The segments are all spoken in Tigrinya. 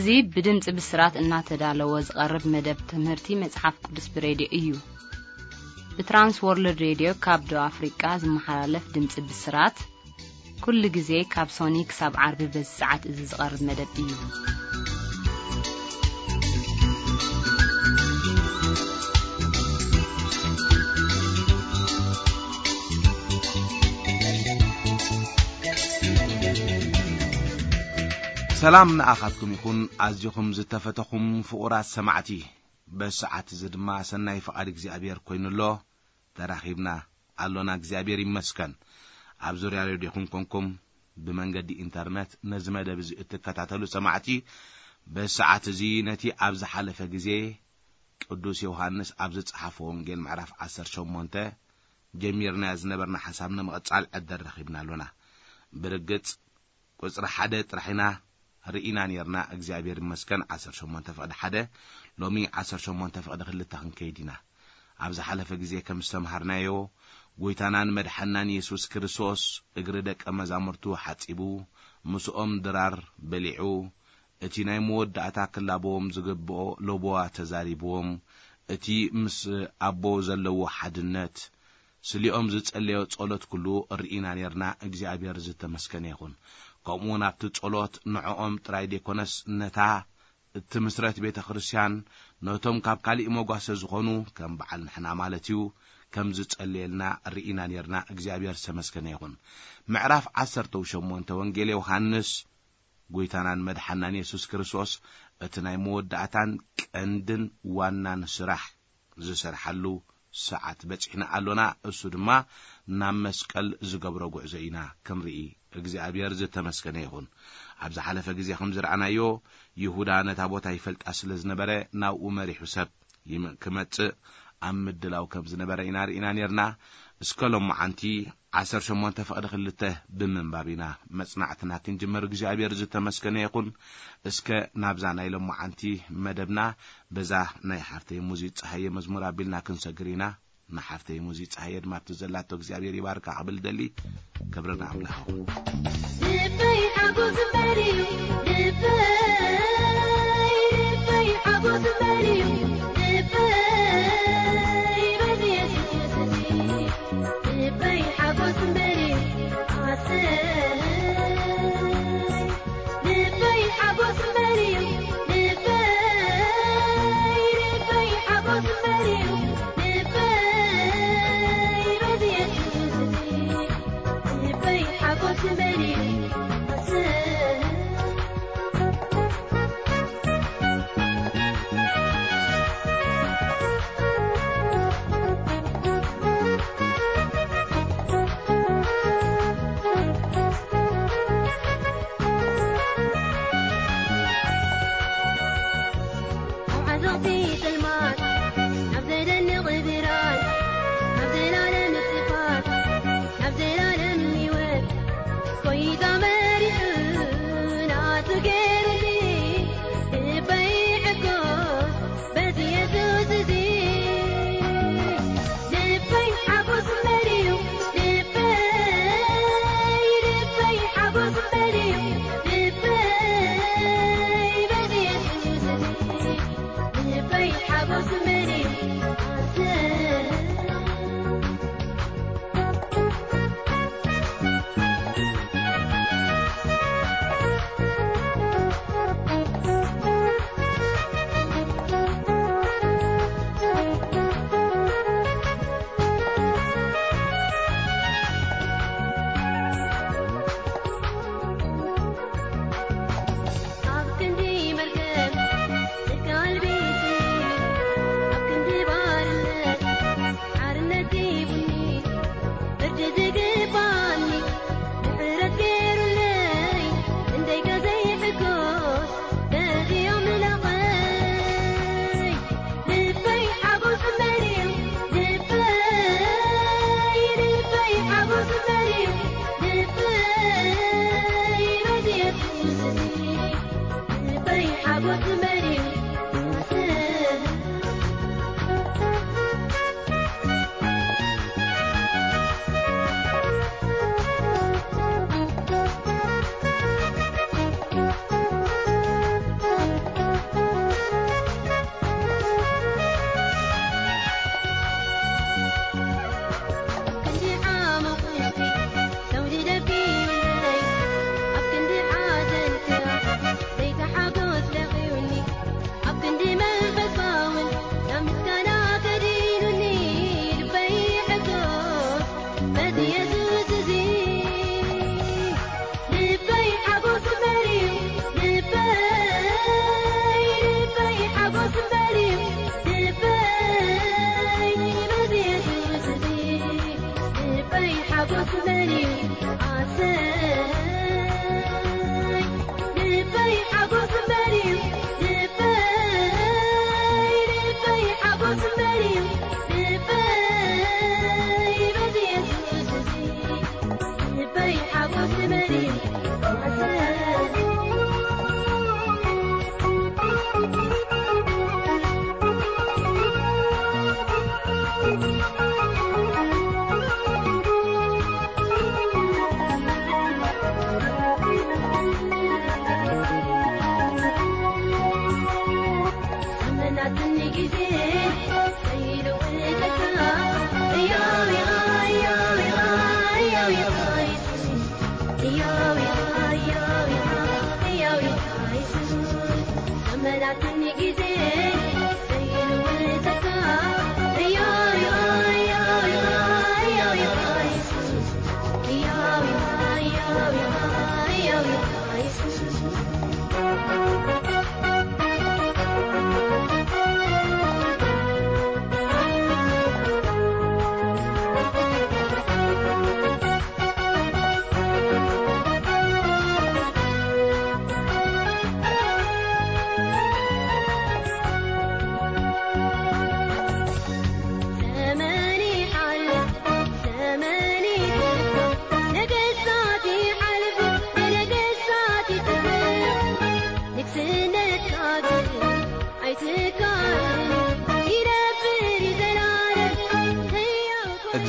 እዚ ብድምፂ ብስራት እናተዳለወ ዝቐርብ መደብ ትምህርቲ መፅሓፍ ቅዱስ ብሬድዮ እዩ። ብትራንስ ወርልድ ሬድዮ ካብ ደቡብ ኣፍሪቃ ዝመሓላለፍ ድምፂ ብስራት ኩሉ ግዜ ካብ ሶኒ ክሳብ ዓርቢ በዚ ሰዓት እዚ ዝቐርብ መደብ እዩ። ሰላም ንኣኻትኩም ይኹን፣ ኣዚኹም ዝተፈተኹም ፍቑራት ሰማዕቲ። በዚ ሰዓት እዚ ድማ ሰናይ ፍቓድ እግዚኣብሔር ኮይኑ ኣሎ። ተራኺብና ኣሎና፣ እግዚኣብሔር ይመስገን። ኣብ ዙርያ ሬድዮኹም ኮንኩም ብመንገዲ ኢንተርነት ነዚ መደብ እዚ እትከታተሉ ሰማዕቲ፣ በዚ ሰዓት እዚ ነቲ ኣብ ዝሓለፈ ግዜ ቅዱስ ዮሃንስ ኣብ ዝጸሓፎ ወንጌል ምዕራፍ ዓሰርተ ሸሞንተ ጀሚርናዮ ዝነበርና ሓሳብ ንምቕጻል ዕድል ረኺብና ኣሎና። ብርግጽ ቁጽሪ ሓደ ጥራሕ ኢና ርኢና ኔርና፣ እግዚኣብሔር ይመስገን፣ ዓሰርተ ሸሞንተ ፍቕዲ ሓደ፣ ሎሚ ዓሰርተ ሸሞንተ ፍቕዲ ክልተ ክንከይድ ኢና። ኣብ ዝሓለፈ ግዜ ከም ዝተምሃርናዮ፣ ጐይታናን መድሓናን የሱስ ክርስቶስ እግሪ ደቀ መዛሙርቱ ሓጺቡ፣ ምስኦም ድራር በሊዑ፣ እቲ ናይ መወዳእታ ክላበዎም ዝግብኦ ለበዋ ተዛሪብዎም፣ እቲ ምስ ኣቦ ዘለዎ ሓድነት፣ ስሊኦም ዝጸለዮ ጸሎት ኩሉ ርኢና ኔርና። እግዚኣብሔር ዝተመስገነ ይኹን። ከምኡ እውን ኣብቲ ጸሎት ንዕኦም ጥራይ ዘይኮነስ ነታ እትምስረት ቤተ ክርስቲያን ነቶም ካብ ካሊእ መጓሰ ዝኾኑ ከም በዓል ንሕና ማለት እዩ ከም ዝጸለየልና ርኢና ኔርና። እግዚኣብሔር ዝተመስገነ ይኹን። ምዕራፍ ዓሰርተ ሸሞንተ ወንጌል ዮሃንስ ጐይታናን መድሓናን የሱስ ክርስቶስ እቲ ናይ መወዳእታን ቀንድን ዋናን ስራሕ ዝሰርሓሉ ሰዓት በጺሕና ኣሎና። እሱ ድማ ናብ መስቀል ዝገብሮ ጉዕዞ ኢና ክንርኢ። እግዚኣብሔር ዝተመስገነ ይኹን። ኣብ ዝሓለፈ ግዜ ከም ዝረኣናዮ፣ ይሁዳ ነታ ቦታ ይፈልጣ ስለ ዝነበረ፣ ናብኡ መሪሑ ሰብ ይም-፣ ክመጽእ ኣብ ምድላው ከም ዝነበረ ኢና ርኢና ኔርና። እስከ ሎመዓንቲ ዓሰርተ ሸሞንተ ፍቕዲ ክልተ ብምንባብ ኢና መጽናዕትና ክንጅምር። እግዚኣብሔር ዝተመስገነ ይኹን። እስከ ናብዛ ናይ ሎመዓንቲ መደብና በዛ ናይ ሓፍተይ ሙዚት ጸሃየ መዝሙር ኣቢልና ክንሰግር ኢና። ንሓፍተይ ሙዚት ጸሃየ ድማ ኣብቲ ዘላቶ እግዚኣብሔር ይባርካ ክብል ደሊ። ክብሪ ንኣምላኽ ይኹን። ልበይ ሓጎስ እምበር እዩ፣ ልበይ፣ ልበይ ሓጎስ እምበር እዩ፣ ልበይ በዚ የሱስ ልበይ ሓጎስ እምበር እዩ፣ ኣሰይ። ልበይ ሓጎስ እምበር እዩ፣ ልበይ፣ ልበይ ሓጎስ እምበር እዩ፣ ልበይ በዚ የሱስ ልበይ ሓጎስ እምበር እዩ፣ ኣሰይ።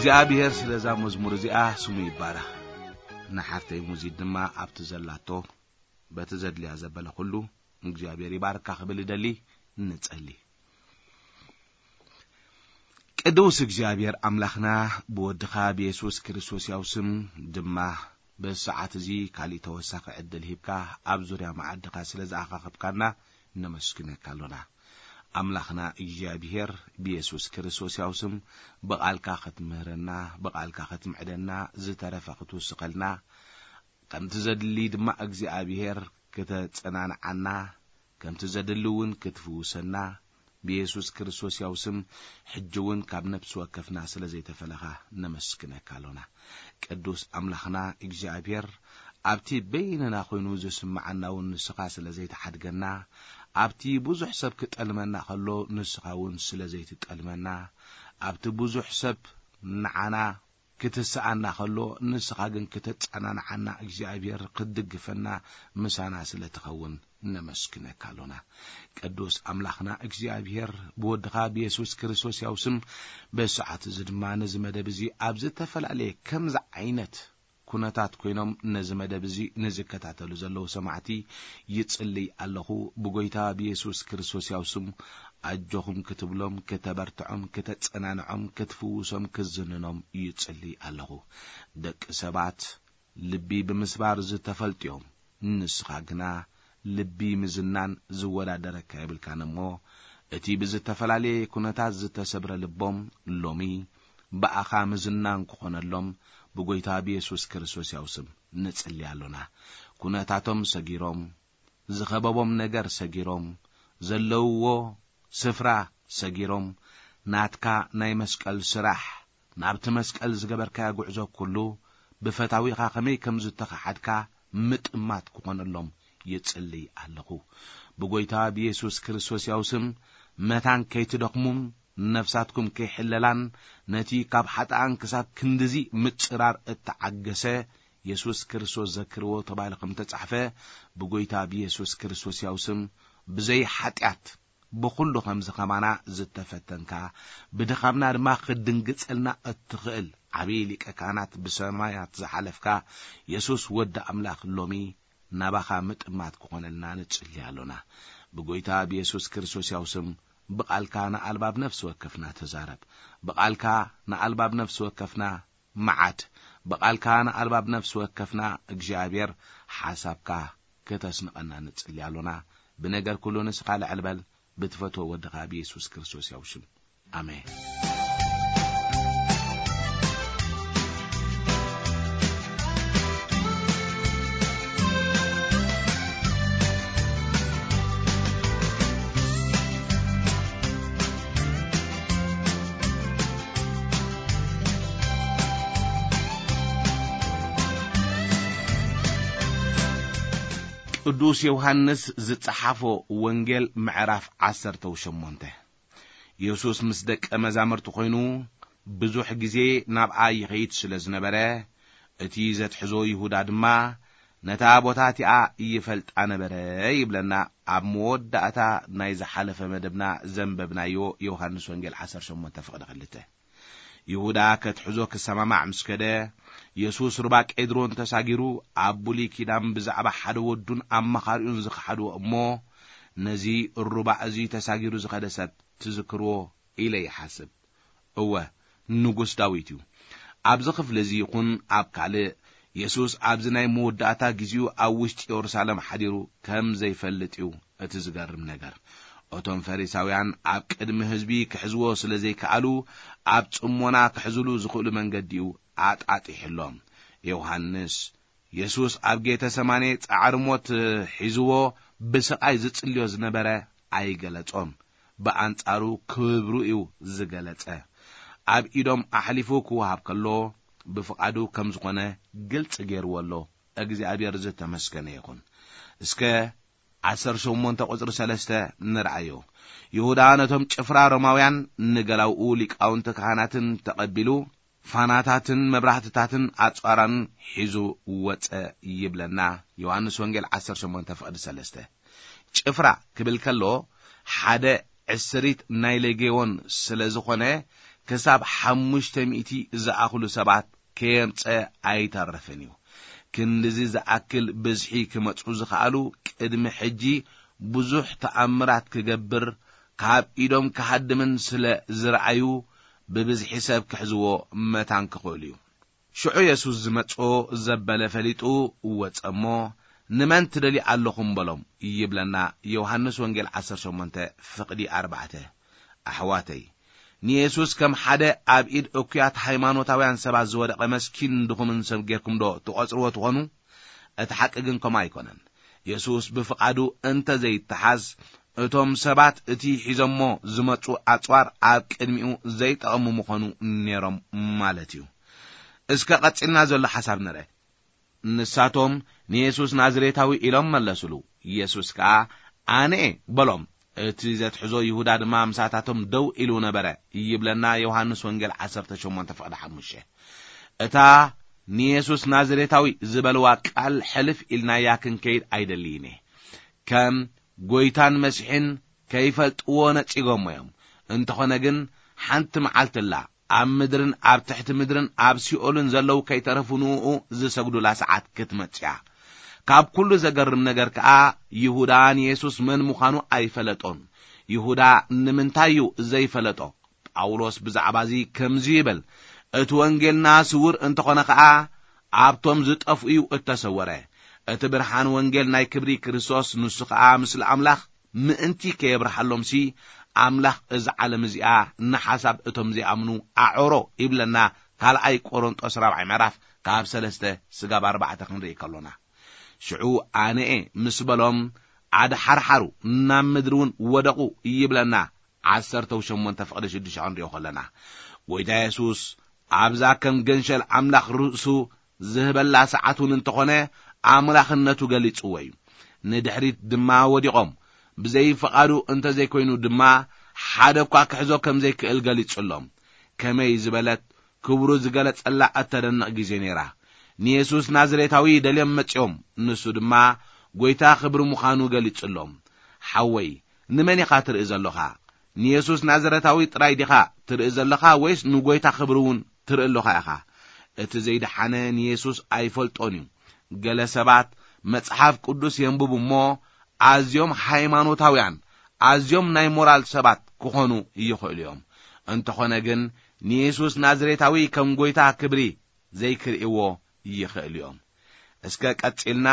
እግዚኣብሔር ስለዛ መዝሙር እዚኣ ስሙ ይባረኽ። ንሓፍተይ ሙዚት ድማ ኣብቲ ዘላቶ በቲ ዘድልያ ዘበለ ኩሉ እግዚኣብሔር ይባርካ ክብል እደሊ። ንጸሊ። ቅዱስ እግዚኣብሔር ኣምላኽና ብወድኻ ብየሱስ ክርስቶስ ያው ስም ድማ በዚ ሰዓት እዚ ካሊእ ተወሳኺ ዕድል ሂብካ ኣብ ዙርያ መዓድኻ ስለ ዝኣኻኸብካና ነመስግነካ ኣሎና። ኣምላኽና እግዚኣብሔር ብየሱስ ክርስቶስ ያው ስም ብቓልካ ክትምህረና፣ ብቓልካ ክትምዕደና፣ ዝተረፈ ክትውስኸልና፣ ከምቲ ዘድሊ ድማ እግዚኣብሔር ክተጸናንዓና፣ ከምቲ ዘድሊ እውን ክትፍውሰና፣ ብየሱስ ክርስቶስ ያው ስም ሕጂ እውን ካብ ነፍሲ ወከፍና ስለ ዘይተፈለኻ ነመስግነካ ኣሎና። ቅዱስ ኣምላኽና እግዚኣብሔር ኣብቲ በይንና ኮይኑ ዝስምዓና እውን ንስኻ ስለ ዘይተሓድገና፣ ኣብቲ ብዙሕ ሰብ ክጠልመና ከሎ ንስኻ እውን ስለ ዘይትጠልመና፣ ኣብቲ ብዙሕ ሰብ ንዓና ክትስኣና ከሎ ንስኻ ግን ክተጸናንዓና እግዚኣብሔር ክትድግፈና ምሳና ስለ ትኸውን ነመስግነካ ኣሎና። ቅዱስ ኣምላኽና እግዚኣብሔር ብወድኻ ብየሱስ ክርስቶስ ያው ስም በዚ ሰዓት እዚ ድማ ነዚ መደብ እዚ ኣብ ዝተፈላለየ ከምዚ ዓይነት ኩነታት ኮይኖም ነዚ መደብ እዚ ንዝከታተሉ ዘለዉ ሰማዕቲ ይጽልይ ኣለኹ። ብጎይታ ብየሱስ ክርስቶስ ያው ስም ኣጆኹም ክትብሎም፣ ከተበርትዖም፣ ከተጸናንዖም፣ ክትፍውሶም፣ ክዝንኖም ይጽልይ ኣለኹ። ደቂ ሰባት ልቢ ብምስባር ዝተፈልጡ እዮም። ንስኻ ግና ልቢ ምዝናን ዝወዳደረካ የብልካን እሞ፣ እቲ ብዝተፈላለየ ኩነታት ዝተሰብረ ልቦም ሎሚ ብኣኻ ምዝናን ክኾነሎም ብጎይታ ብየሱስ ክርስቶስ ያው ስም ንጽሊ ኣሎና። ኩነታቶም ሰጊሮም፣ ዝኸበቦም ነገር ሰጊሮም፣ ዘለውዎ ስፍራ ሰጊሮም፣ ናትካ ናይ መስቀል ስራሕ፣ ናብቲ መስቀል ዝገበርካዮ ጉዕዞ ኩሉ ብፈታዊኻ ከመይ ከም ዝተኸሓድካ ምጥማት ክኾነሎም ይጽልይ ኣለኹ። ብጎይታ ብየሱስ ክርስቶስ ያው ስም መታን ከይትደኽሙም ነፍሳትኩም ከይሕለላን ነቲ ካብ ሓጥኣን ክሳብ ክንድዚ ምጽራር እተዓገሰ የሱስ ክርስቶስ ዘክርዎ ተባሂሉ ከም ተጻሕፈ ብጎይታ ብየሱስ ክርስቶስ ያው ስም ብዘይ ሓጢኣት ብኹሉ ከምዚ ከማና ዝተፈተንካ፣ ብድኻምና ድማ ክትድንግጸልና እትኽእል ዓብዪ ሊቀ ካህናት ብሰማያት ዝሓለፍካ የሱስ ወዲ ኣምላኽ ሎሚ ናባኻ ምጥማት ክኾነልና ንጽሊ ኣሎና። ብጎይታ ብየሱስ ክርስቶስ ያው ስም ብቓልካ ንኣልባብ ነፍሲ ወከፍና ተዛረብ። ብቓልካ ንኣልባብ ነፍሲ ወከፍና መዓድ። ብቓልካ ንኣልባብ ነፍሲ ወከፍና እግዚኣብሔር ሓሳብካ ከተስንቐና ንጽሊ ኣሎና። ብነገር ኩሉ ንስኻ ልዕል በል፣ ብትፈትዎ ወድኻ ብየሱስ ክርስቶስ ያው ሽም። ኣሜን። ቅዱስ ዮሃንስ ዝጸሓፎ ወንጌል ምዕራፍ ዓሰርተ ሸሞንተ። የሱስ ምስ ደቀ መዛሙርቲ ኾይኑ ብዙሕ ግዜ ናብኣ ይኸይድ ስለ ዝነበረ፣ እቲ ዘትሕዞ ይሁዳ ድማ ነታ ቦታ እቲኣ ይፈልጣ ነበረ ይብለና። ኣብ መወዳእታ ናይ ዝሓለፈ መደብና ዘንበብናዮ ዮሃንስ ወንጌል ዓሰርተ ሸሞንተ ፍቕዲ ክልተ። ይሁዳ ከትሕዞ ክሰማማዕ ምስ ከደ፣ የሱስ ሩባ ቄድሮን ተሳጊሩ ኣብ ብሉይ ኪዳን ብዛዕባ ሓደ ወዱን ኣማኻሪኡን ዝኸሓድዎ እሞ፣ ነዚ ሩባ እዚ ተሳጊሩ ዝኸደ ሰብ ትዝክርዎ ኢለ ይሓስብ። እወ፣ ንጉስ ዳዊት እዩ። ኣብዚ ክፍሊ እዚ ይኹን ኣብ ካልእ፣ የሱስ ኣብዚ ናይ መወዳእታ ግዜኡ ኣብ ውሽጢ የሩሳሌም ሓዲሩ ከም ዘይፈልጥ እዩ እቲ ዝገርም ነገር። እቶም ፈሪሳውያን ኣብ ቅድሚ ህዝቢ ክሕዝዎ ስለ ዘይከኣሉ፣ ኣብ ጽሞና ክሕዝሉ ዝኽእሉ መንገዲ እዩ ኣጣጢሕሎም። ዮሃንስ፣ የሱስ ኣብ ጌተሰማኔ ጻዕሪ ሞት ሒዝዎ ብስቓይ ዝጽልዮ ዝነበረ ኣይገለጾን። ብኣንጻሩ ክብሩ እዩ ዝገለጸ። ኣብ ኢዶም ኣሕሊፉ ክወሃብ ከሎ ብፍቓዱ ከም ዝኾነ ግልጺ ገይርዎ ኣሎ። እግዚኣብሔር ዝተመስገነ ይኹን። እስከ ዓሰርተ ሸሞንተ ቁጽሪ ሰለስተ ንርኣዮ። ይሁዳ ነቶም ጭፍራ ሮማውያን ንገላውኡ ሊቃውንቲ ካህናትን ተቐቢሉ ፋናታትን መብራህትታትን ኣጽዋራን ሒዙ ወጸ ይብለና። ዮሃንስ ወንጌል ዓሰርተ ሸሞንተ ፍቕዲ ሰለስተ። ጭፍራ ክብል ከሎ ሓደ ዕስሪት ናይ ሌጌዎን ስለ ዝኾነ ክሳብ ሓሙሽተ ሚእቲ ዝኣኽሉ ሰባት ከየምጸ ኣይተረፍን እዩ። ክንድዚ ዝኣክል ብዝሒ ክመጹ ዝኸኣሉ ቅድሚ ሕጂ ብዙሕ ተኣምራት ክገብር ካብ ኢዶም ክሃድምን ስለ ዝረኣዩ ብብዝሒ ሰብ ክሕዝዎ መታን ክኽእሉ እዩ። ሽዑ የሱስ ዝመጽኦ ዘበለ ፈሊጡ ወጸ እሞ፣ "ንመን ትደልዩ ኣለኹም?" በሎም ይብለና ዮሃንስ ወንጌል ዓሰርተ ሸሞንተ ፍቕዲ ኣርባዕተ። ኣሕዋተይ፣ ንየሱስ ከም ሓደ ኣብ ኢድ እኩያት ሃይማኖታውያን ሰባት ዝወደቐ መስኪን ድኹምን ሰብ ጌርኩም ዶ ትቖጽርዎ ትኾኑ? እቲ ሓቂ ግን ከምኡ ኣይኮነን። የሱስ ብፍቓዱ እንተ ዘይተሓዝ፣ እቶም ሰባት እቲ ሒዞሞ ዝመጹ ኣጽዋር ኣብ ቅድሚኡ ዘይጠቐሙ ምኾኑ ነይሮም ማለት እዩ። እስከ ቀጺልና ዘሎ ሓሳብ ንርአ። ንሳቶም ንየሱስ ናዝሬታዊ ኢሎም መለሱሉ። የሱስ ከኣ ኣነኤ በሎም። እቲ ዘትሕዞ ይሁዳ ድማ ምሳታቶም ደው ኢሉ ነበረ ይብለና ዮሃንስ ወንጌል ዓሰርተ ሸሞንተ ፍቕዲ ሓሙሽተ። እታ ንየሱስ ናዝሬታዊ ዝበልዋ ቃል ሕልፍ ኢልናያ ክንከይድ ኣይደልይን እየ። ከም ጎይታን መሲሕን ከይፈልጥዎ ነጺጎሞ እዮም። እንተኾነ ግን ሓንቲ መዓልቲ ኣላ፣ ኣብ ምድርን ኣብ ትሕቲ ምድርን ኣብ ሲኦልን ዘለዉ ከይተረፉ ንእኡ ዝሰግዱላ ሰዓት ክትመጽእ እያ። ካብ ኩሉ ዘገርም ነገር ከኣ ይሁዳ ንየሱስ መን ምዃኑ ኣይፈለጦን። ይሁዳ ንምንታይ እዩ ዘይፈለጦ? ጳውሎስ ብዛዕባ እዚ ከምዚ ይብል፣ "እቲ ወንጌልና ስውር እንተኾነ ኸኣ ኣብቶም ዝጠፍኡ እዩ እተሰወረ። እቲ ብርሃን ወንጌል ናይ ክብሪ ክርስቶስ ንሱ ኸኣ ምስሊ ኣምላኽ ምእንቲ ከየብርሃሎምሲ ኣምላኽ እዛ ዓለም እዚኣ ንሓሳብ እቶም ዘይኣምኑ ኣዕሮ" ይብለና ካልኣይ ቆሮንጦስ ራብዓይ ምዕራፍ ካብ ሰለስተ ስጋብ ኣርባዕተ ክንርኢ ከሎና። ሽዑ ኣነኤ ምስ በሎም ኣድሓርሓሩ ናብ ምድሪ እውን ወደቑ ይብለና ዓሰርተ ሸሞንተ ፍቕዲ ሽዱሽተ ክንሪኦ ከለና። ጎይታ የሱስ ኣብዛ ከም ገንሸል ኣምላኽ ርእሱ ዝህበላ ሰዓት እውን እንተኾነ ኣምላኽነቱ ገሊጽዎ እዩ። ንድሕሪት ድማ ወዲቖም፣ ብዘይ ፍቓዱ እንተ ዘይኮይኑ ድማ ሓደ እኳ ክሕዞ ከም ዘይክእል ገሊጹሎም። ከመይ ዝበለት ክብሩ ዝገለጸላ እተደንቕ ግዜ ነይራ። ንየሱስ ናዝሬታዊ ደልዮም መጺኦም፣ ንሱ ድማ ጐይታ ክብሪ ምዃኑ ገሊጹሎም። ሓወይ፣ ንመን ኢኻ ትርኢ ዘሎኻ? ንየሱስ ናዝሬታዊ ጥራይ ዲኻ ትርኢ ዘለኻ ወይስ ንጐይታ ክብሪ እውን ትርኢ ኣሎኻ ኢኻ? እቲ ዘይደሓነ ንየሱስ ኣይፈልጦን እዩ። ገለ ሰባት መጽሓፍ ቅዱስ የንብቡ እሞ ኣዝዮም ሃይማኖታውያን፣ ኣዝዮም ናይ ሞራል ሰባት ክኾኑ ይኽእሉ እዮም። እንተኾነ ግን ንየሱስ ናዝሬታዊ ከም ጐይታ ክብሪ ዘይክርእይዎ ይኽእሉ እዮም። እስከ ቀጺልና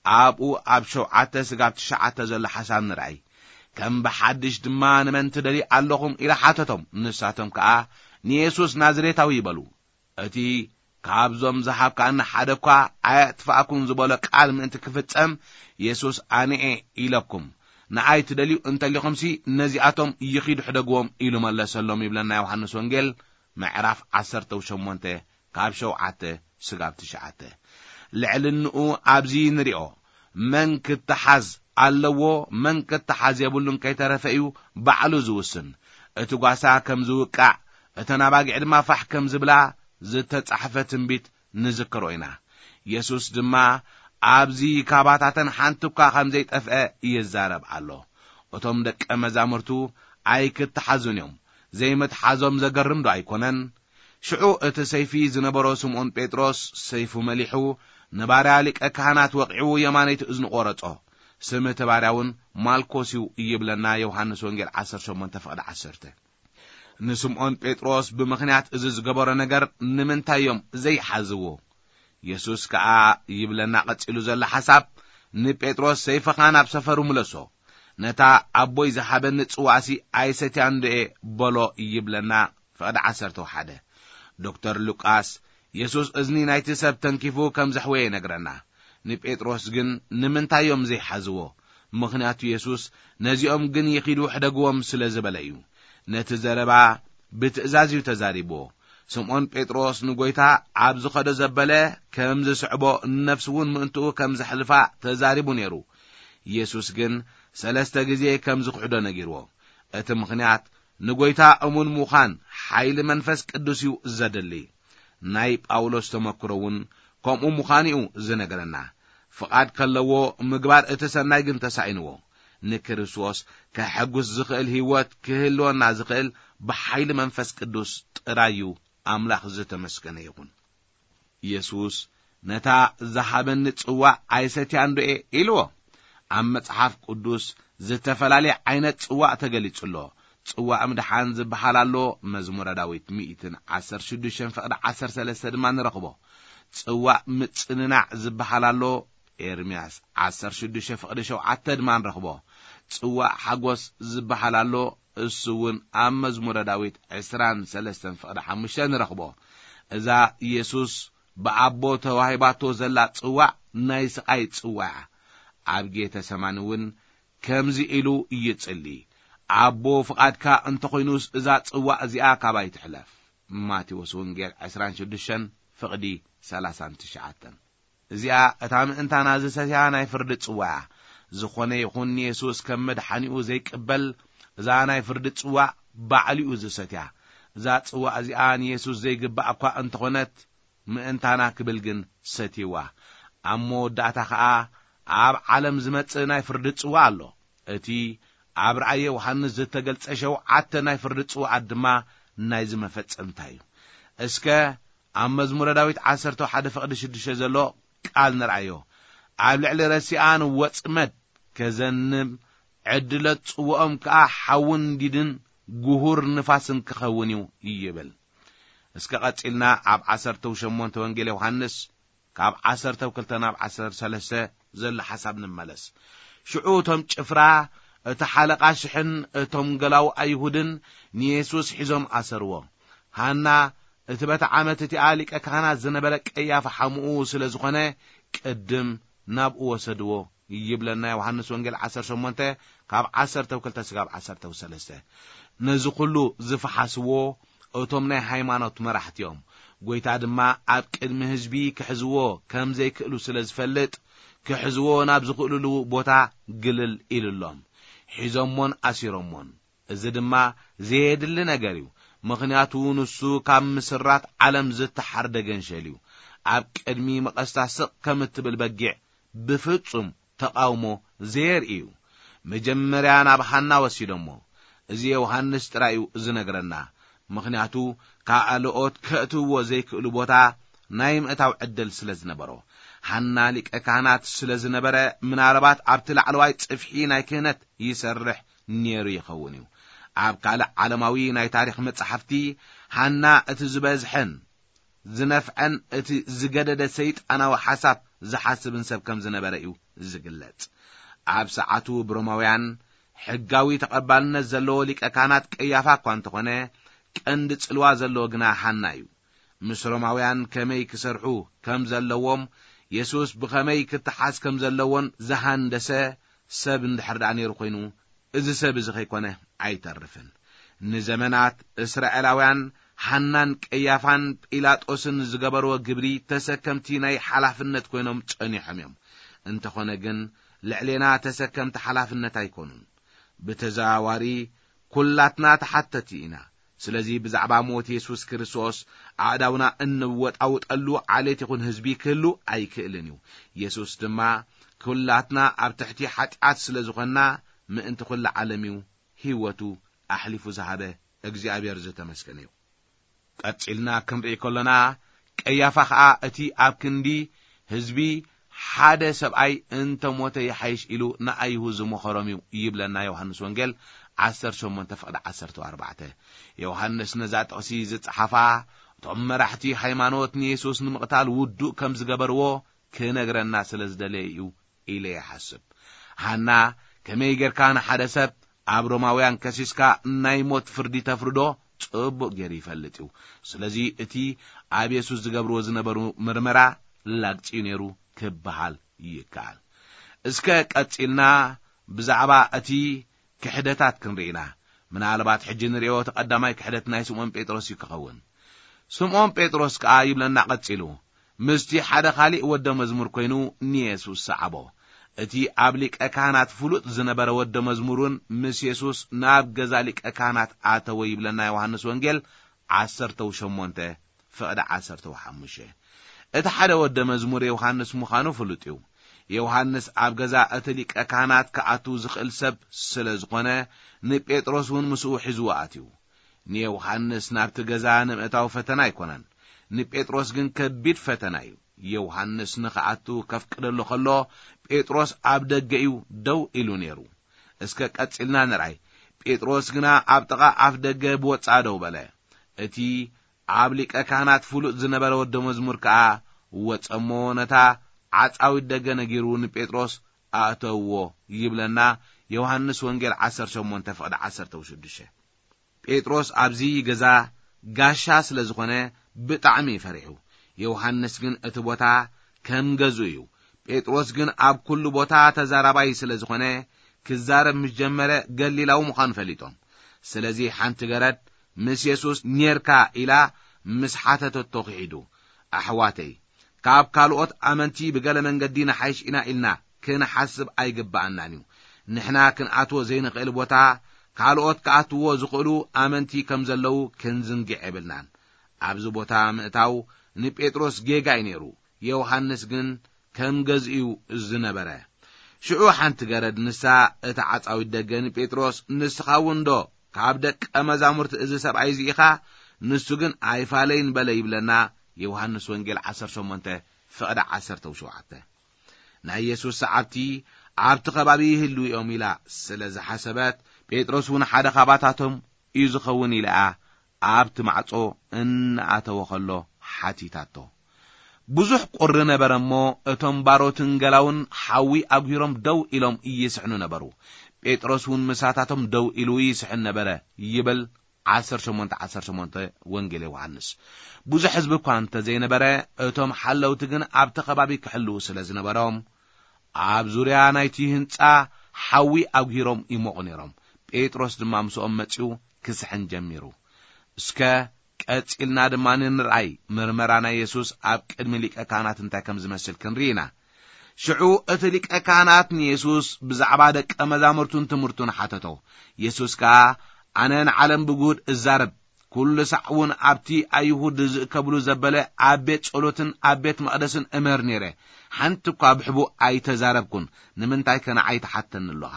ኣብኡ ኣብ ሸውዓተ ስጋብ ትሽዓተ ዘሎ ሓሳብ ንርኣይ። ከም ብሓድሽ ድማ "ንመን ትደልዩ ኣለኹም?" ኢሉ ሓተቶም። ንሳቶም ከኣ "ንየሱስ ናዝሬታዊ" ይበሉ። እቲ "ካብዞም ዝሃብካኒ ሓደ እኳ ኣየጥፍኣኩን" ዝበሎ ቃል ምእንቲ ክፍጸም፣ የሱስ "ኣነኤ ኢለኩም፣ ንኣይ ትደልዩ እንተሊኹምሲ ነዚኣቶም ይኺዱ ሕደግዎም" ኢሉ መለሰሎም ይብለና ዮሃንስ ወንጌል ምዕራፍ ዓሰርተ ሸሞንተ ካብ ሸውዓተ ስጋብ ትሽዓተ። ልዕልንኡ ኣብዚ ንሪኦ። መን ክተሓዝ ኣለዎ፣ መን ክተሓዝ የብሉን ከይተረፈ እዩ ባዕሉ ዝውስን። እቲ ጓሳ ከም ዝውቃዕ፣ እተን ኣባጊዕ ድማ ፋሕ ከም ዝብላ ዝተጻሕፈ ትንቢት ንዝክሮ ኢና። የሱስ ድማ ኣብዚ ካባታተን ሓንቲ እኳ ከም ዘይጠፍአ ይዛረብ ኣሎ። እቶም ደቀ መዛሙርቱ ኣይክተሓዙን እዮም። ዘይምትሓዞም ዘገርም ዶ ኣይኮነን? ሽዑ እቲ ሰይፊ ዝነበሮ ስምዖን ጴጥሮስ ሰይፉ መሊሑ ንባርያ ሊቀ ካህናት ወቒዑ የማነይቲ እዝኑ ቖረጾ። ስም እቲ ባርያ እውን ማልኮስ እዩ ይብለና ዮሃንስ ወንጌል ዓሰርተ ሸሞንተ ፍቕዲ ዓሰርተ። ንስምዖን ጴጥሮስ ብምኽንያት እዚ ዝገበሮ ነገር ንምንታይ እዮም ዘይሓዝዎ? የሱስ ከኣ ይብለና ቀጺሉ ዘሎ ሓሳብ፣ ንጴጥሮስ፣ "ሰይፍኻ ናብ ሰፈሩ ምለሶ፣ ነታ ኣቦይ ዝሃበኒ ጽዋእሲ ኣይሰትያን ዶ'የ?" በሎ ይብለና ፍቕዲ ዓሰርተ ሓደ። ዶክተር ሉቃስ፣ የሱስ እዝኒ ናይቲ ሰብ ተንኪፉ ከም ዘሕወየ ይነግረና። ንጴጥሮስ ግን ንምንታይ እዮም ዘይሓዝዎ? ምኽንያቱ የሱስ፣ "ነዚኦም ግን ይኺዱ ሕደግዎም" ስለ ዝበለ እዩ። ነቲ ዘረባ ብትእዛዝ እዩ ተዛሪብዎ። ስምዖን ጴጥሮስ ንጎይታ ኣብ ዝኸዶ ዘበለ ከም ዝስዕቦ፣ ነፍሱ እውን ምእንትኡ ከም ዘሕልፋ ተዛሪቡ ነይሩ። የሱስ ግን ሰለስተ ግዜ ከም ዝኽሕዶ ነጊርዎ። እቲ ምኽንያት ንጎይታ እሙን ምዃን ሓይሊ መንፈስ ቅዱስ እዩ ዘድሊ። ናይ ጳውሎስ ተመክሮ እውን ከምኡ ምዃኑ እዩ ዝነግረና። ፍቓድ ከለዎ ምግባር እቲ ሰናይ ግን ተሳኢንዎ። ንክርስቶስ ከሐጉስ ዝኽእል ህይወት ክህልወና ዝኽእል ብሓይሊ መንፈስ ቅዱስ ጥራይ እዩ። ኣምላኽ ዝተመስገነ ይኹን። የሱስ፣ "ነታ ዝሃበኒ ጽዋእ ኣይሰትያን ዶ እየ?" ኢልዎ። ኣብ መጽሓፍ ቅዱስ ዝተፈላለየ ዓይነት ጽዋእ ተገሊጹ ኣሎ። ጽዋእ ምድሓን ዝበሃል ኣሎ፣ መዝሙረ ዳዊት ሚእትን ዓሰርተ ሽዱሽተን ፍቕዲ ዓሰርተ ሰለስተ ድማ ንረኽቦ። ጽዋእ ምጽንናዕ ዝበሃል ኣሎ፣ ኤርምያስ ዓሰርተ ሽዱሽተ ፍቕዲ ሸውዓተ ድማ ንረኽቦ። ጽዋእ ሓጎስ ዝበሃል ኣሎ፣ እሱ እውን ኣብ መዝሙረ ዳዊት ዕስራን ሰለስተን ፍቕዲ ሓሙሽተ ንረኽቦ። እዛ የሱስ ብኣቦ ተዋሂባቶ ዘላ ጽዋእ ናይ ስቓይ ጽዋእ እያ። ኣብ ጌተ ሰማኒ እውን ከምዚ ኢሉ ይጽሊ፣ "ኣቦ፣ ፍቓድካ እንተኾይኑስ እዛ ጽዋእ እዚኣ ካባይ ትሕለፍ።" ማቴዎስ ወንጌል ዕስራን ሽዱሽተን ፍቕዲ ሰላሳን ትሽዓተን። እዚኣ እታ ምእንታና ዝሰትያ ናይ ፍርዲ ጽዋእ እያ። ዝኾነ ይኹን ንየሱስ ከም መድሓኒኡ ዘይቅበል፣ እዛ ናይ ፍርዲ ጽዋእ ባዕሉ እዩ ዝሰትያ። እዛ ጽዋእ እዚኣ ንየሱስ ዘይግባእ እኳ እንተኾነት፣ ምእንታና ክብል ግን ሰትይዋ። ኣብ መወዳእታ ኸኣ ኣብ ዓለም ዝመጽእ ናይ ፍርዲ ጽዋእ ኣሎ። እቲ ኣብ ራእየ ዮሃንስ ዝተገልጸ ሸውዓተ ናይ ፍርዲ ጽዋኣት ድማ ናይዚ መፈጸምታ እዩ። እስከ ኣብ መዝሙረ ዳዊት ዓሰርተ ሓደ ፍቕዲ ሽዱሽተ ዘሎ ቃል ንርኣዮ። "ኣብ ልዕሊ ረሲኣን ወጽመድ ከዘንብ፣ ዕድለት ጽውኦም ከኣ ሓውን ዲድን ጉሁር ንፋስን ክኸውን እዩ" ይብል። እስከ ቀጺልና ኣብ ዓሰርተ ሸሞንተ ወንጌል ዮሃንስ ካብ ዓሰርተ ክልተ ናብ ዓሰርተ ሰለስተ ዘሎ ሓሳብ ንመለስ። ሽዑ እቶም ጭፍራ፣ እቲ ሓለቓ ሽሕን እቶም ገላዉ ኣይሁድን ንየሱስ ሒዞም ኣሰርዎ። ሃና፣ እቲ በቲ ዓመት እቲኣ ሊቀ ካህናት ዝነበረ ቀያፋ ሓሙኡ ስለ ዝኾነ፣ ቅድም ናብኡ ወሰድዎ ይብለና ዮሃንስ ወንጌል ዓሰርተ ሸሞንተ ካብ ዓሰርተ ክልተ ስጋብ ዓሰርተ ሰለስተ። ነዚ ኩሉ ዝፈሓስዎ እቶም ናይ ሃይማኖት መራሕቲ እዮም። ጎይታ ድማ ኣብ ቅድሚ ህዝቢ ክሕዝዎ ከም ዘይክእሉ ስለ ዝፈልጥ፣ ክሕዝዎ ናብ ዝኽእልሉ ቦታ ግልል ኢሉሎም። ሒዞሞን ኣሲሮሞን። እዚ ድማ ዘየድሊ ነገር እዩ። ምኽንያቱ ንሱ ካብ ምስራት ዓለም ዝተሓርደ ገንሸል እዩ። ኣብ ቅድሚ መቐስታ ስቕ ከም እትብል በጊዕ ብፍጹም ተቓውሞ ዘየርኢ እዩ። መጀመርያ ናብ ሃና ወሲዶሞ። እዚ ዮሃንስ ጥራይ እዩ ዝነግረና። ምኽንያቱ ካልኦት ከእትውዎ ዘይክእሉ ቦታ ናይ ምእታው ዕድል ስለ ዝነበሮ። ሃና ሊቀ ካህናት ስለ ዝነበረ፣ ምናልባት ኣብቲ ላዕለዋይ ጽፍሒ ናይ ክህነት ይሰርሕ ነይሩ ይኸውን እዩ። ኣብ ካልእ ዓለማዊ ናይ ታሪኽ መጻሕፍቲ፣ ሃና እቲ ዝበዝሐን ዝነፍዐን እቲ ዝገደደ ሰይጣናዊ ሓሳብ ዝሓስብን ሰብ ከም ዝነበረ እዩ ዝግለጽ። ኣብ ሰዓቱ ብሮማውያን ሕጋዊ ተቐባልነት ዘለዎ ሊቀ ካህናት ቀያፋ እኳ እንተኾነ፣ ቀንዲ ጽልዋ ዘለዎ ግና ሃና እዩ። ምስ ሮማውያን ከመይ ክሰርሑ ከም ዘለዎም፣ የሱስ ብኸመይ ክተሓዝ ከም ዘለዎን ዝሃንደሰ ሰብ እንድሕር ደኣ ነይሩ ኮይኑ፣ እዚ ሰብ እዚ ከይኮነ ኣይተርፍን። ንዘመናት እስራኤላውያን ሃናን ቀያፋን ጲላጦስን ዝገበርዎ ግብሪ ተሰከምቲ ናይ ሓላፍነት ኮይኖም ጸኒሖም እዮም። እንተኾነ ግን ልዕሌና ተሰከምቲ ሓላፍነት ኣይኮኑን። ብተዘዋዋሪ ኩላትና ተሓተቲ ኢና። ስለዚ ብዛዕባ ሞት የሱስ ክርስቶስ ኣእዳውና እንወጣውጠሉ ዓሌት ይኹን ህዝቢ ክህሉ ኣይክእልን እዩ። የሱስ ድማ ኩላትና ኣብ ትሕቲ ሓጢኣት ስለ ዝኾንና ምእንቲ ኩላ ዓለም እዩ ህይወቱ ኣሕሊፉ ዝሃበ። እግዚኣብሔር ዝተመስገነ እዩ። ቀጺልና ክንርኢ ከሎና፣ ቀያፋ ኸኣ እቲ ኣብ ክንዲ ህዝቢ ሓደ ሰብኣይ እንተ ሞተ ይሓይሽ ኢሉ ንኣይሁድ ዝመኸሮም እዩ ይብለና ዮሃንስ ወንጌል ዓሰርተ ሸሞንተ ፍቕዲ ዓሰርተ ኣርባዕተ። ዮሃንስ ነዛ ጥቕሲ ዝጸሓፋ እቶም መራሕቲ ሃይማኖት ንየሱስ ንምቕታል ውዱእ ከም ዝገበርዎ ክነግረና ስለ ዝደለየ እዩ ኢለ ይሓስብ። ሃና ከመይ ጌርካ ንሓደ ሰብ ኣብ ሮማውያን ከሲስካ ናይ ሞት ፍርዲ ተፍርዶ ጽቡቕ ገይሩ ይፈልጥ እዩ። ስለዚ እቲ ኣብ የሱስ ዝገብርዎ ዝነበሩ ምርመራ ላግጺ እዩ ነይሩ ክበሃል ይከኣል። እስከ ቀጺልና ብዛዕባ እቲ ክሕደታት ክንርኢ ኢና። ምናልባት ሕጂ ንርእዮ እቲ ቀዳማይ ክሕደት ናይ ስምዖን ጴጥሮስ እዩ ክኸውን። ስምዖን ጴጥሮስ ከኣ ይብለና ቀጺሉ፣ ምስቲ ሓደ ኻሊእ ወደ መዝሙር ኮይኑ ንየሱስ ሰዓቦ። እቲ ኣብ ሊቀ ካህናት ፍሉጥ ዝነበረ ወደ መዝሙር እውን ምስ የሱስ ናብ ገዛ ሊቀ ካህናት ኣተወ ይብለና ዮሃንስ ወንጌል ዓሰርተ ሸሞንተ ፍቕዲ ዓሰርተ ሓሙሽተ። እቲ ሓደ ወደ መዝሙር ዮሃንስ ምዃኑ ፍሉጥ እዩ። ዮሃንስ ኣብ ገዛ እቲ ሊቀ ካህናት ክኣቱ ዝኽእል ሰብ ስለ ዝኾነ ንጴጥሮስ እውን ምስኡ ሒዝዎ ኣትዩ። ንዮሃንስ ናብቲ ገዛ ንምእታው ፈተና ኣይኮነን። ንጴጥሮስ ግን ከቢድ ፈተና እዩ። ዮሃንስ ንኽኣቱ ከፍቅደሉ ከሎ ጴጥሮስ ኣብ ደገ እዩ ደው ኢሉ ነይሩ። እስከ ቀጺልና ንርኣይ። ጴጥሮስ ግና ኣብ ጥቓ ኣፍ ደገ ብወጻእ ደው በለ። እቲ ኣብ ሊቀ ካህናት ፍሉጥ ዝነበረ ወደ መዝሙር ከኣ ወጸሞ ነታ ዓጻዊት ደገ ነጊሩ ንጴጥሮስ ኣእተውዎ ይብለና ዮሃንስ ወንጌል ዓሰርተ ሸሞንተ ፍቕዲ ዓሰርተ ሽዱሽተ። ጴጥሮስ ኣብዚ ገዛ ጋሻ ስለ ዝኾነ ብጣዕሚ እዩ ፈሪሑ። ዮሃንስ ግን እቲ ቦታ ከም ገዝኡ እዩ። ጴጥሮስ ግን ኣብ ኩሉ ቦታ ተዛራባይ ስለ ዝኾነ ክዛረብ ምስ ጀመረ ገሊላዊ ምዃኑ ፈሊጦም። ስለዚ ሓንቲ ገረድ ምስ የሱስ ኔርካ ኢላ ምስ ሓተተቶ ክሒዱ። ኣሕዋተይ፣ ካብ ካልኦት ኣመንቲ ብገለ መንገዲ ንሓይሽ ኢና ኢልና ክንሓስብ ኣይግብኣናን እዩ። ንሕና ክንኣትዎ ዘይንኽእል ቦታ ካልኦት ክኣትዎ ዝኽእሉ ኣመንቲ ከም ዘለዉ ክንዝንግዕ የብልናን። ኣብዚ ቦታ ምእታው ንጴጥሮስ ጌጋ እዩ ነይሩ። ዮሃንስ ግን ከም ገዝኡ እዩ ዝነበረ። ሽዑ ሓንቲ ገረድ ንሳ እታ ዓጻዊት ደገ ንጴጥሮስ፣ "ንስኻ እውን ዶ ካብ ደቀ መዛሙርቲ እዚ ሰብኣይ እዚ ኢኻ?" ንሱ ግን ኣይፋለይን በለ ይብለና ዮሃንስ ወንጌል ዓሰርተ ሸሞንተ ፍቕዲ ዓሰርተ ሸውዓተ። ናይ የሱስ ሰዓብቲ ኣብቲ ከባቢ ይህልዉ እዮም ኢላ ስለ ዝሓሰበት፣ ጴጥሮስ እውን ሓደ ካባታቶም እዩ ዝኸውን ኢላ ኣብቲ ማዕጾ እናኣተወ ኸሎ ሓቲታቶ። ብዙሕ ቁሪ ነበረ እሞ፣ እቶም ባሮትን ገላውን ሓዊ ኣጉሂሮም ደው ኢሎም ይስሕኑ ነበሩ። ጴጥሮስ እውን ምሳታቶም ደው ኢሉ ይስሕን ነበረ ይብል ዓሰርተ ሸሞንተ ዓሰርተ ሸሞንተ ወንጌል ዮሃንስ። ብዙሕ ህዝቢ እኳ እንተ ዘይነበረ፣ እቶም ሓለውቲ ግን ኣብቲ ከባቢ ክሕልዉ ስለ ዝነበሮም፣ ኣብ ዙርያ ናይቲ ህንጻ ሓዊ ኣጉሂሮም ይሞቑ ነይሮም። ጴጥሮስ ድማ ምስኦም መጺኡ ክስሕን ጀሚሩ። እስከ ቀጺልና ድማ ንርኣይ፣ ምርመራ ናይ የሱስ ኣብ ቅድሚ ሊቀ ካህናት እንታይ ከም ዝመስል ክንርኢ ኢና። ሽዑ እቲ ሊቀ ካህናት ንየሱስ ብዛዕባ ደቀ መዛሙርቱን ትምህርቱን ሓተቶ። የሱስ ከኣ፣ "ኣነ ንዓለም ብጉድ እዛረብ፣ ኩሉ ሳዕ እውን ኣብቲ ኣይሁድ ዝእከብሉ ዘበለ ኣብ ቤት ጸሎትን ኣብ ቤት መቕደስን እምህር ነይረ። ሓንቲ እኳ ብሕቡእ ኣይተዛረብኩን። ንምንታይከ ንዓይ ትሓተኒ ኣሎኻ?"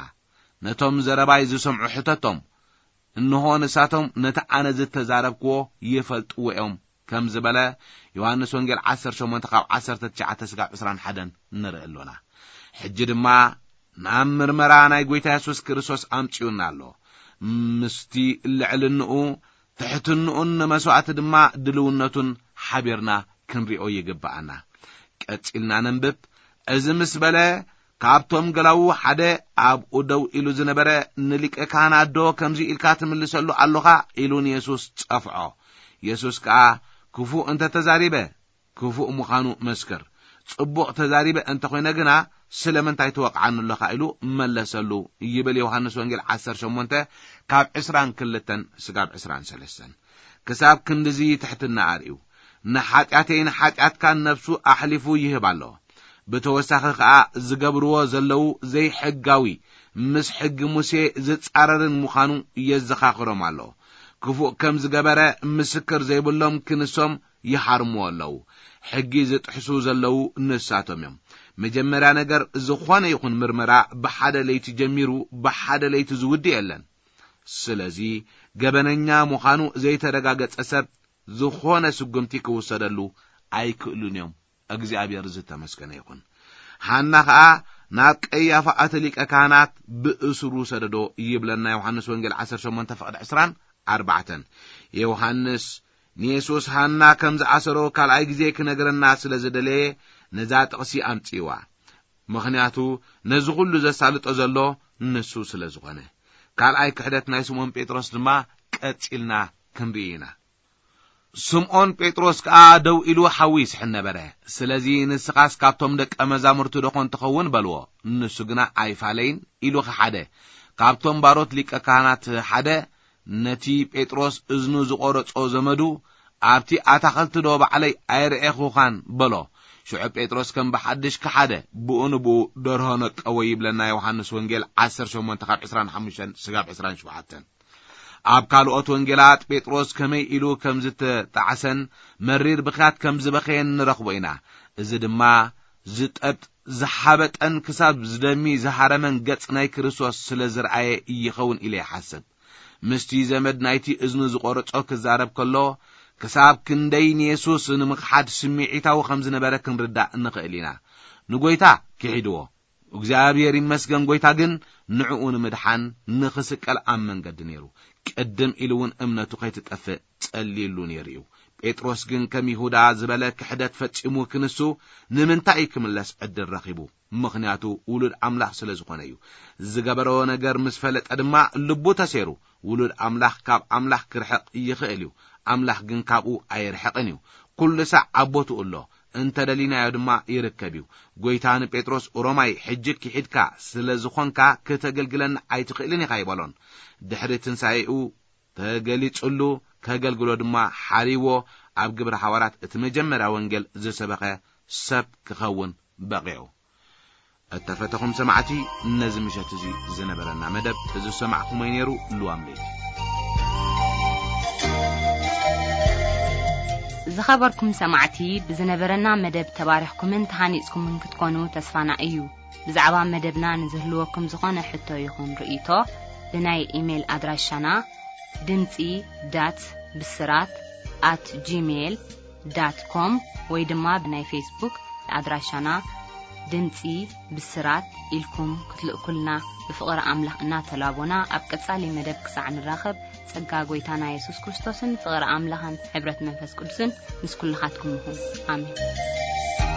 ነቶም ዘረባይ ዝሰምዑ ሕተቶም። እንሆ፣ ንሳቶም ነቲ ኣነ ዝተዛረብክዎ ይፈልጥዎ እዮም፣ ከም ዝበለ ዮሃንስ ወንጌል ዓሰርተ ሸሞንተ ካብ ዓሰርተ ትሽዓተ ስጋብ ዕስራን ሓደን ንርኢ ኣሎና። ሕጂ ድማ ናብ ምርመራ ናይ ጐይታ የሱስ ክርስቶስ ኣምጺኡና ኣሎ። ምስቲ ልዕልንኡ፣ ትሕትንኡን ንመስዋእቲ ድማ ድልውነቱን ሓቢርና ክንሪኦ ይግብኣና። ቀጺልና ነንብብ። እዚ ምስ በለ፣ ካብቶም ገላዉ ሓደ ኣብኡ ደው ኢሉ ዝነበረ፣ "ንሊቀ ካህናት ዶ ከምዚ ኢልካ ትምልሰሉ ኣሎኻ?" ኢሉ ንየሱስ ጸፍዖ። የሱስ ከኣ፣ "ክፉእ እንተ ተዛሪበ፣ ክፉእ ምዃኑ መስክር። ጽቡቕ ተዛሪበ እንተ ኾይነ ግና፣ ስለምንታይ ትወቕዓኒ ኣሎኻ?" ኢሉ መለሰሉ ይብል ዮሃንስ ወንጌል ዓሰርተ ሸሞንተ ካብ ዕስራን ክልተን ስጋብ ዕስራን ሰለስተን። ክሳብ ክንድዚ ትሕትና ኣርእዩ። ንሓጢኣተይ ንሓጢኣትካን ነፍሱ ኣሕሊፉ ይህብ ኣሎ። ብተወሳኺ ኸኣ ዝገብርዎ ዘለዉ ዘይሕጋዊ፣ ምስ ሕጊ ሙሴ ዝጻረርን ምዃኑ የዘኻኽሮም ኣሎ። ክፉእ ከም ዝገበረ ምስክር ዘይብሎም ክንሶም ይሃርምዎ ኣለዉ። ሕጊ ዝጥሕሱ ዘለዉ ንሳቶም እዮም። መጀመርያ ነገር፣ ዝኾነ ይኹን ምርመራ ብሓደ ለይቲ ጀሚሩ ብሓደ ለይቲ ዝውድእ የለን። ስለዚ፣ ገበነኛ ምዃኑ ዘይተረጋገጸ ሰብ ዝኾነ ስጉምቲ ክውሰደሉ ኣይክእሉን እዮም። እግዚኣብሔር ዝተመስገነ ይኹን። ሃና ኸኣ ናብ ቀያፋ ኣቲ ሊቀ ካህናት ብእስሩ ሰደዶ ይብለና ዮሃንስ ወንጌል ዓሰርተ ሸሞንተ ፍቕዲ ዕስራን ኣርባዕተን። ዮሃንስ ንየሱስ ሃና ከም ዝኣሰሮ ካልኣይ ግዜ ክነግረና ስለ ዝደለየ ነዛ ጥቕሲ ኣምጽእዋ። ምኽንያቱ ነዚ ኹሉ ዘሳልጦ ዘሎ ንሱ ስለ ዝኾነ። ካልኣይ ክሕደት ናይ ስምዖን ጴጥሮስ ድማ ቀጺልና ክንርኢ ኢና። ስምዖን ጴጥሮስ ከኣ ደው ኢሉ ሓዊ ይስሕን ነበረ። ስለዚ ንስኻስ ካብቶም ደቀ መዛሙርቱ ዶ ኾን ትኸውን በልዎ። ንሱ ግና ኣይፋለይን ኢሉ ኸሓደ። ካብቶም ባሮት ሊቀ ካህናት ሓደ ነቲ ጴጥሮስ እዝኑ ዝቖረጾ ዘመዱ ኣብቲ ኣታኸልቲ ዶ ባዕለይ ኣይርኤኹኻን በሎ። ሽዑ ጴጥሮስ ከም ብሓድሽ ከሓደ ብኡ ንብኡ ደርሆ ነቀዎ ይብለና ዮሃንስ ወንጌል ዓሰርተ ሸሞንተ ካብ ዕስራን ሓሙሽተን ስጋብ ዕስራን ሸውዓተን። ኣብ ካልኦት ወንጌላት ጴጥሮስ ከመይ ኢሉ ከም ዝተጣዕሰን መሪር ብኽያት ከም ዝበኸየን ንረኽቦ ኢና። እዚ ድማ ዝጠብጥ ዝሓበጠን ክሳብ ዝደሚ ዝሃረመን ገጽ ናይ ክርስቶስ ስለ ዝረኣየ ይኸውን ኢለ ይሓስብ። ምስቲ ዘመድ ናይቲ እዝኑ ዝቖረጾ ክዛረብ ከሎ ክሳብ ክንደይ ንየሱስ ንምኽሓድ ስምዒታዊ ከም ዝነበረ ክንርዳእ ንኽእል ኢና። ንጎይታ ክሒድዎ። እግዚኣብሔር ይመስገን፣ ጎይታ ግን ንዕኡ ንምድሓን ንኽስቀል ኣብ መንገዲ ነይሩ። ቅድም ኢሉ እውን እምነቱ ከይትጠፍእ ጸልይሉ ነይሩ እዩ። ጴጥሮስ ግን ከም ይሁዳ ዝበለ ክሕደት ፈጺሙ ክንሱ ንምንታይ ክምለስ ዕድል ረኺቡ? ምኽንያቱ ውሉድ ኣምላኽ ስለ ዝኾነ እዩ። ዝገበሮ ነገር ምስ ፈለጠ ድማ ልቡ ተሴሩ። ውሉድ ኣምላኽ ካብ ኣምላኽ ክርሕቕ ይኽእል እዩ፣ ኣምላኽ ግን ካብኡ ኣይርሕቕን እዩ። ኩሉ ሳዕ ኣብ ቦትኡ ኣሎ፣ እንተ ደሊናዮ ድማ ይርከብ እዩ። ጎይታ ንጴጥሮስ ሮማይ ሕጂ ክሒድካ ስለ ዝኾንካ ክተገልግለኒ ኣይትኽእልን ኢኻ ይበሎን። ድሕሪ ትንሳኤኡ ተገሊጹሉ፣ ከገልግሎ ድማ ሓሪዎ ኣብ ግብረ ሓዋርያት እቲ መጀመርያ ወንጌል ዝሰበኸ ሰብ ክኸውን በቒዑ። እተፈተኹም ሰማዕቲ፣ ነዚ ምሸት እዚ ዝነበረና መደብ እዚ ዝሰማዕኩሞ ነይሩ። ልዋም ለይቲ። ዝኸበርኩም ሰማዕቲ፣ ብዝነበረና መደብ ተባሪኽኩምን ተሃኒጽኩምን ክትኮኑ ተስፋና እዩ። ብዛዕባ መደብና ንዝህልወኩም ዝኾነ ሕቶ ይኹን ርእይቶ ብናይ ኢሜይል ኣድራሻና ድምጺ ዳት ብስራት ኣት ጂሜይል ዳት ኮም ወይ ድማ ብናይ ፌስቡክ ኣድራሻና ድምጺ ብስራት ኢልኩም ክትልእኩልና ብፍቕሪ ኣምላኽ እናተላቦና ኣብ ቀጻሊ መደብ ክሳዕ ንራኸብ ጸጋ ጎይታና የሱስ ክርስቶስን ፍቕሪ ኣምላኽን ሕብረት መንፈስ ቅዱስን ምስ ኩልኻትኩም ይኹን። ኣሜን።